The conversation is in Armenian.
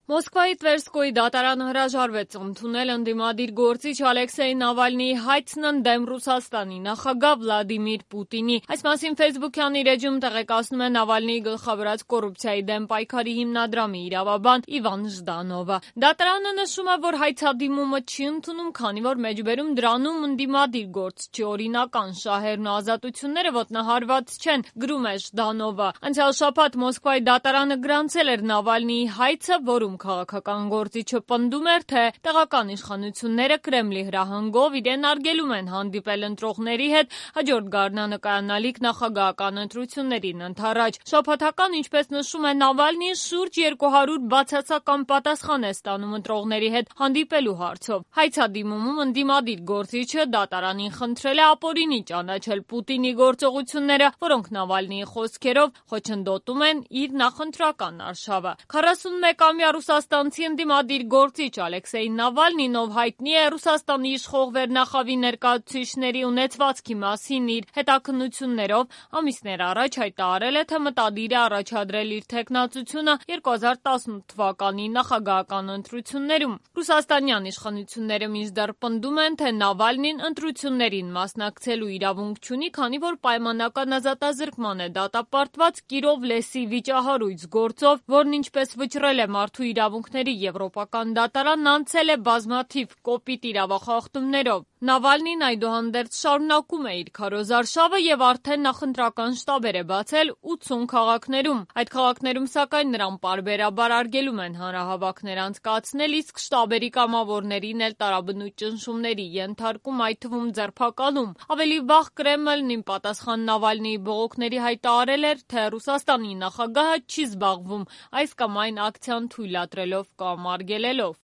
Մոսկվայի Տվերսկոյի դատարանը հրաժարվեց ընդունել ընդդիմադիր գործիչ Ալեքսեյ Նավալնիի հայցն ընդդեմ Ռուսաստանի նախագահ Վլադիմիր Պուտինի։ Այս մասին ֆեյսբուքյան իր էջում տեղեկացնում է Նավալնիի գլխավորած կոռուպցիայի դեմ պայքարի հիմնադրամի իրավաբան Իվան Ժդանովը։ Դատարանը նշում է, որ հայցադիմումը չի ընդունում, քանի որ մեջբերում դրանում ընդդիմադիր գործչի օրինական շահերն ու ազատությունները ոտնահարված չեն, գրում է Ժդանովը։ Անցյալ շաբաթ Մոսկվայի դատարանը գրանցել էր Նավալնիի հայցը, որում քաղաքական գործիչը պնդում էր, թե տեղական իշխանությունները Կրեմլի հրահանգով իրեն արգելում են հանդիպել ընտրողների հետ հաջորդ գարնանկայանալիք նախագահական ընտրություններին ընդառաջ։ Շաբաթական, ինչպես նշում է Նավալնին, շուրջ 200 բացասական պատասխան է ստանում ընտրողների հետ հանդիպելու հարցով։ Հայցադիմումում ընդդիմադիր գործիչը դատարանին խնդրել է ապօրինի ճանաչել Պուտինի գործողությունները, որոնք Նավալնիի խոսքերով խոչընդոտում են իր նախընտրական արշավը։ 41-ամյա ռուսաստանցի ընդդիմադիր գործիչ Ալեքսեյ Նավալնին, ով հայտնի է Ռուսաստանի իշխող վերնախավի ներկայացուցիչների ունեցվածքի մասին իր հետաքննություններով, ամիսներ առաջ հայտարարել է, թե մտադիր է առաջադրել իր թեկնածությունը 2018 թվականի նախագահական ընտրություններում։ Ռուսաստանյան իշխանությունները մինչդեռ պնդում են, թե Նավալնին ընտրություններին մասնակցելու իրավունք չունի, քանի որ պայմանական ազատազրկման է դատապարտված Կիրով լեսի վիճահարույց գործով, որն ինչպես վճռել է Մարդու իրավունքների եվրոպական դատարանն, անցել է բազմաթիվ կոպիտ իրավախախտումներով։ Նավալնին այդուհանդերձ շարունակում է իր քարոզարշավը եւ արդեն նախընտրական շտաբեր է բացել 80 քաղաքներում։ Այդ քաղաքներում, սակայն, նրան պարբերաբար արգելում են հանրահավաքներ անցկացնել, իսկ շտաբերի կամավորներին էլ տարաբնույթ ճնշումների ենթարկում, այդ թվում ձերբակալում։ Ավելի վաղ Կրեմլն ի պատասխան Նավալնիի բողոքների հայտարարել էր, թե Ռուսաստանի նախագահը չի զբաղվում այս կամ այն ակցիան թույլատրելով կամ արգելելով։